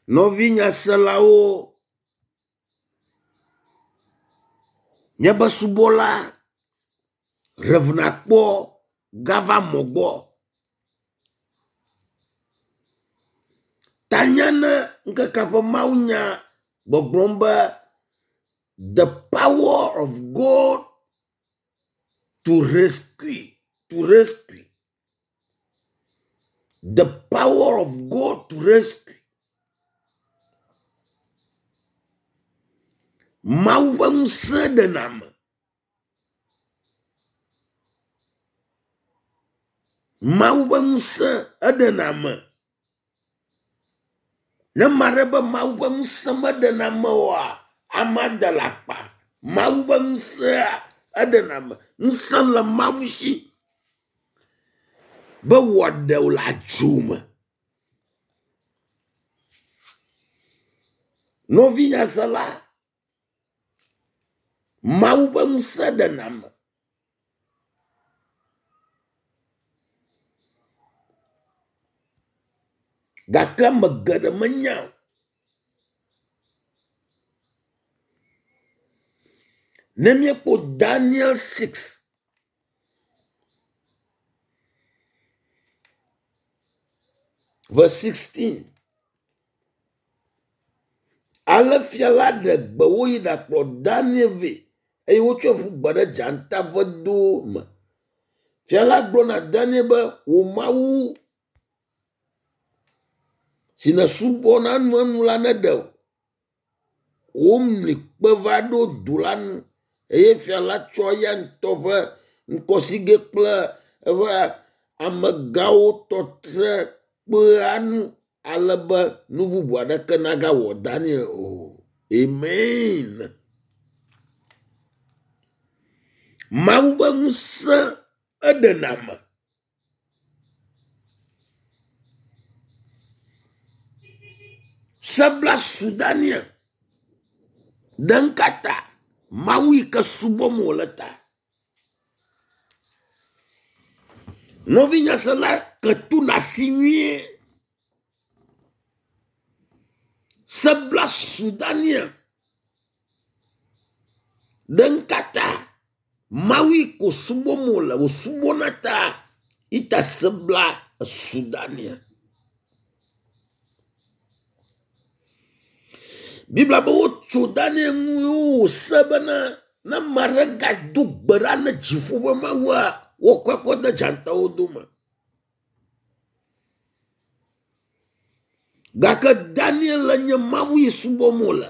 Nɔvi nyaselawo, míaƒe subɔla Rev. Akpɔ gava mɔ gbɔ. Tanya ne ŋkekea ƒe mawunya gbɔgblɔm be the power of God to rescue to rescue the power of God to rescue. Mawu ƒe ŋusẽ ɖena ame. Mawu ƒe ŋusẽ eɖena ame. Ne ame aɖe be Mawu ƒe ŋusẽ meɖena ame oa, amea da le akpa. Mawu ƒe ŋusẽa eɖena ame. Ŋusẽ le Mawu si be wòaɖe wò le adzo me. Nɔvi nyasela, Mawu ƒe ŋusẽ ɖena ame. Gake ame geɖe menya o. Ne míekpɔ Daniel 6 verse 16 ale fia la ɖe gbe woyi ɖakplɔ Daniel vɛ eye wotsɔe ƒu gbe ɖe dzata ƒe do me. Fia la gblɔ na Daniel be wò Mawu si nèsubɔna enuenu la neɖe wò. Womli kpe va ɖo du la nu eye fia la tsɔ eya ŋutɔ ƒe ŋkɔsigɛ kple eƒe amegãwo tɔ tre kpea nu ale be nu bubu aɖeke nagawɔ Daniel o. Amen. Mawu ƒe ŋusẽ eɖena ame. Sebla su Daniel ɖe ŋkata Mawu yi ke subɔm wòle ta. Nɔvi nyasela ketu nasi nyuie. Sebla su Daniel ɖe ŋkata Mawu yi ko subɔm wòle wòsubɔna ta ita sebla esu Daniel. Biblia be wotso Daniel ŋu ye wòse bena ne ame aɖe gado gbe ɖa ne dziƒo ƒe Mawua, woakɔe kɔ de dzatawo dome. Gake Daniel nye Mawu yi subɔm wòle.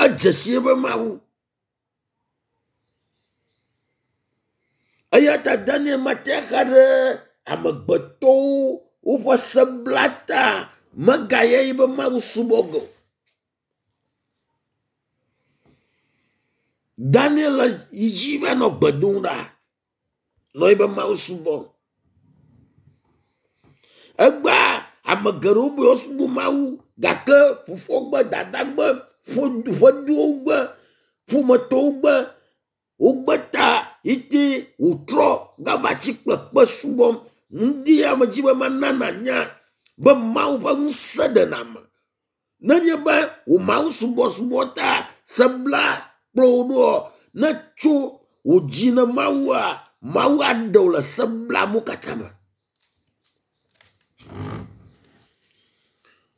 Edze si eƒe Mawu. Eya ta Daniel mate axa ɖe amegbetɔwo woƒe sebla ta megaye yi be Mawu subɔ ge o. Daniel yi dzi va nɔ gbe dom ɖa nɔ yi be Mawu subɔm. Egbea ame geɖewo be yewoasubɔ Mawu gake fofoa gbe, dada gbe, ƒedowo gbe, ƒometɔwo gbe, wogbe ta eye wòtrɔ gava tsi kple kpe subɔm. Ŋdi ya medzi be mana nànya be Mawu ƒe ŋusẽ ɖena ame. Nenye be wò Mawu subɔsubɔ ta sebla kplɔ wò ɖoa, ne tso wò dzi ne Mawua, Mawu aɖe wò le seblamu katã me.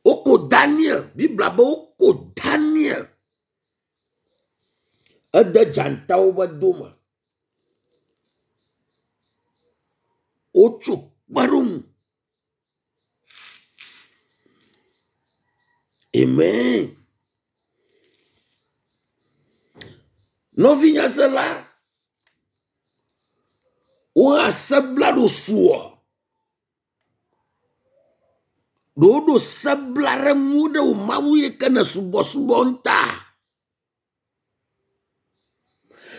Woko Daniel, Biblia be woko Daniel ede dzatawo ƒe do me. Wotso kpe ɖe ŋu. Amen. Nɔvi nyasela, wohã sebla ɖo suɔ. Ɖewo ɖo sebla ɖe ŋu ɖe wò Mawu yi ke ne subɔsubɔ ta.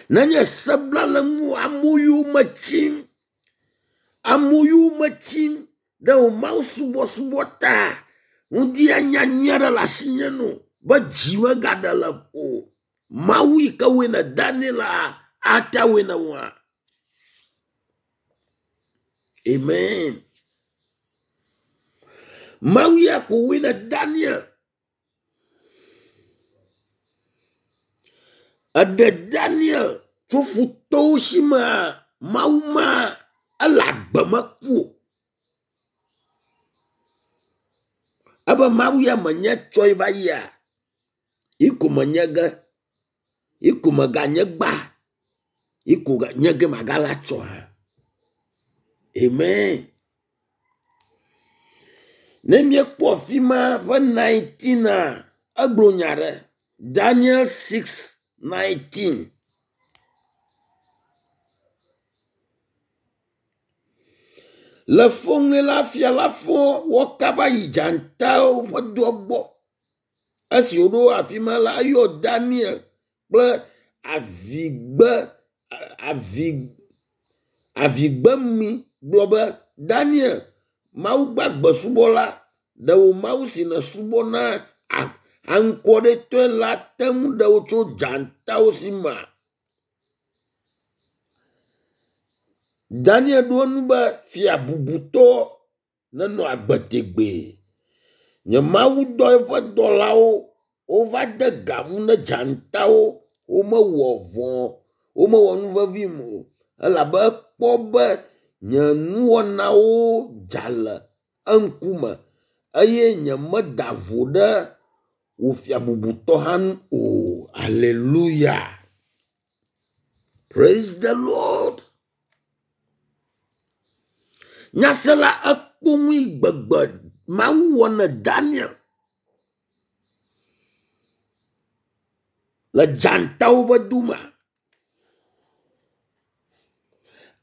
Nenye sebla le ŋu amewo yome tsim, amewo yome tsim ɖe wò Mawu subɔsubɔ ta. Ŋdi anya nyui aɖe le asinye no be dzi megaɖe le ƒo. Mawu yi ke wɔe ne Daniel la ate wɔe ne wòa. Amen. Mawu ya ko woe ne Daniel. Eɖe Daniel tso futɔwo si mea, Mawu ma ele agbe meku o. Ebe Mawu ya menye tsɔe va yia, yi ko menye ge, yi ko meganye gba, yi ko nye ge magala tsɔ hã. Amen. Ne míekpɔ afi ma ƒe 19 a, egblɔ nya ɖe. Daniel 6:19. Le fɔŋli la, fia la fɔ wɔ kaba yi dzatawo ƒe doa gbɔ. Esi wòɖo afi ma la, eyɔ Daniel kple avigbe avi avigbemi gblɔ be, Daniel, Mawu gbagbe subɔla, ɖe wò Mawu si nèsubɔna aŋkɔɖetɔe la te ŋu ɖe wò tso dzatawo si mea? Daniel ɖo eŋu be, Fia bubutɔ nenɔ agbe tegbee. Nye Mawu dɔ eƒe dɔlawo wova de ga ŋu ne dzatawo. Womewɔ vɔ̃, womewɔ nu vevim o elabe ekpɔ be nye nuwɔnawo dza le eŋkume eye nyemeda vo ɖe wò fia bubutɔ hã ŋu o. Hallelujah. Praise the Lord. Nyasela ekpɔ nu yi gbegbe Mawu wɔ ne Daniel le dzatawo ƒe dome.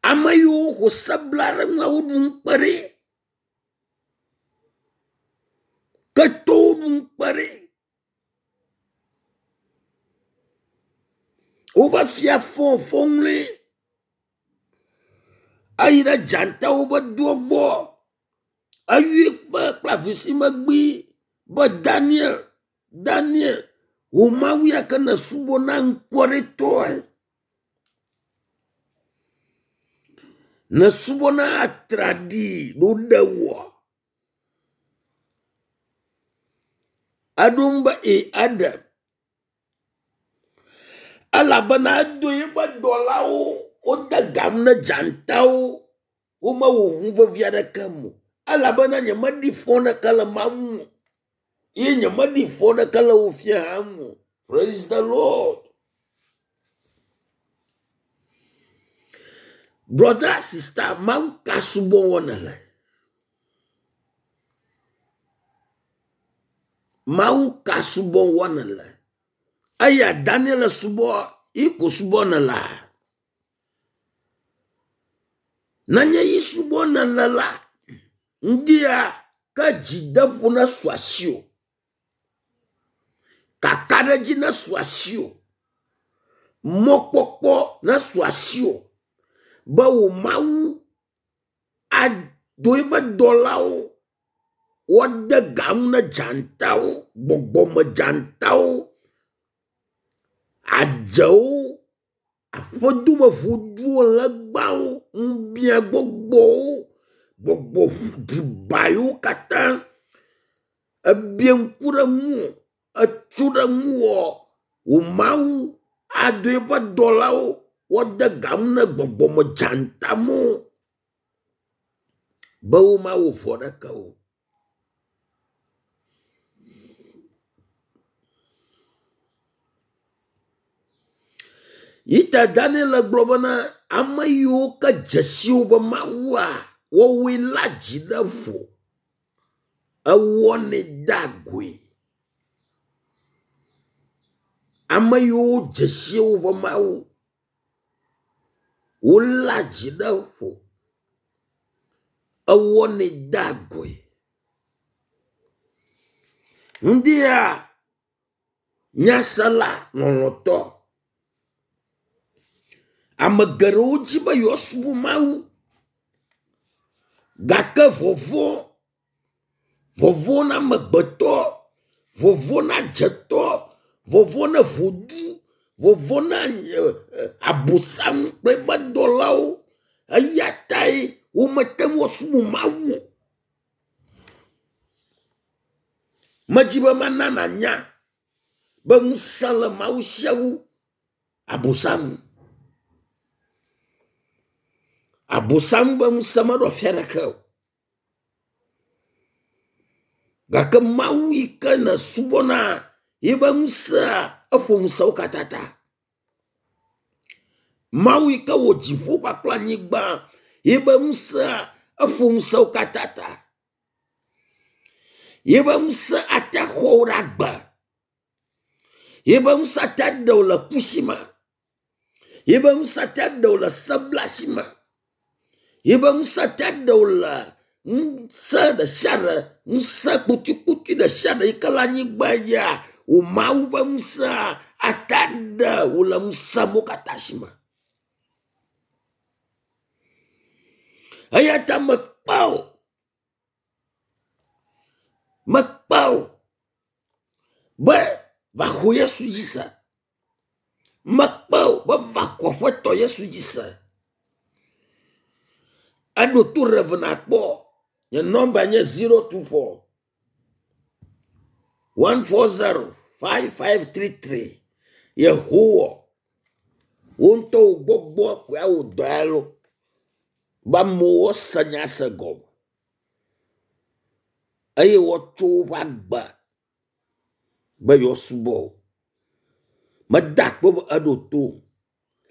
Ame yiwo xɔ se bla ɖe nua woɖu ŋukpe ɖe. Ketɔwo ɖu ŋukpe ɖe. Wobe fia fɔ fɔŋli eyi ɖe dzatawo ƒe doa gbɔ. Eyɔe kpe kple avisimegbee be Daniel, Daniel, wò Mawu ya ke nèsubɔna ŋkɔɖetɔe. Nèsubɔna atraɖii ɖo ɖe wòa? Eɖo ŋu be ee eɖem. Elabena edo eƒe dɔlawo wode ga ŋu ne dzatawo womewɔ nu vevi aɖeke o. Elabena nyemeɖi fɔ ɖeke le Mawu ŋu o ye nyemeɖi fɔ ɖeke le wò fia hã ŋu o. Praise the Lord. Brother, sister, Mawu ka subɔ wɔ nèle? Mawu ka subɔ wɔ nèle? Eya Daniel subɔ yi ko subɔ nèlea? Nenye yi subɔ nèle la, ŋdia ke dzideƒo nesu asiwò. Kakaɖedzi nesu asiwò. Mɔkpɔkpɔ nesu asiwò be wò Mawu ado eƒe dɔlawo woade ga ŋu ne dzatawo, gbɔgbɔme dzatawo, adzewo, aƒedome ŋuduwo, legbawo, ŋubiagbɔgbɔwo, gbɔgbɔ driba yiwo katã ebia ŋku ɖe ŋuwò, etso ɖe ŋuwò wò Mawu ado eƒe dɔlawo woade ga ŋu ne gbɔgbɔme dzatamewo be womawɔ vɔ ɖeke o. Yi ta Daniel gblɔ bena ame yiwo ke dze si woƒe Mawua, woawoe léa dzi ɖe ƒo. Ewɔnɛ dea goe. Ame yiwo dze si woƒe Mawu, woléa dzi ɖe ƒo. Ewɔnɛ dea goe. Ŋdia nyasela lɔlɔ̃tɔ. Ame geɖewo dzi be yewoasubɔ Mawu gake vɔvɔ̃, vɔvɔ̃ na amegbetɔ, vɔvɔ̃ na dzetɔ, vɔvɔ̃ na ŋodu, vɔvɔ̃ na abosam kple eƒe dɔlawo eya tae womete ŋu asubɔ Mawu o. Medzi be mana nànya be ŋusẽ le Mawu sia wu Abosam. Abosam be ŋusẽ meɖo afi aɖeke o. Gake Mawu yi ke nèsubɔna yibe ŋusẽa eƒo ŋusẽwo katã ta. Mawu yi ke wɔ dziƒo kpakple anyigba yibe ŋusẽa eƒo ŋusẽwo katã ta. Yibe ŋusẽ ate xɔ wò ɖe agbe. Yibe ŋusẽ ate ɖe wò le ku si me. Yibe ŋusẽ ate ɖe wò le seblasi me. Yibe ŋusẽ ate ɖe wò le ŋusẽ ɖe sia ɖe, ŋusẽ kputukputui ɖe sia ɖe yi ke le anyigba dzia, wò Mawu ƒe ŋusẽa ate ɖe wò le ŋusẽ mawo katã si me. Eya ta mekpe wò, mekpe wò be va xɔ Yesu dzi se. Mekpe wò be va xɔ Aƒetɔ Yesu dzi se. Eɖo to Rev nakpɔ. Nye nɔmba nye 024 140 5533. Yehowa, wò ŋutɔ wò gbɔgbɔ koe awɔ dɔ ya lo be amewo se nya se gɔme eye woatso woƒe agbe be yewoasubɔ wò. Meda akpe be eɖo to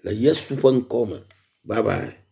le Yesu ƒe ŋkɔ me. Bye bye.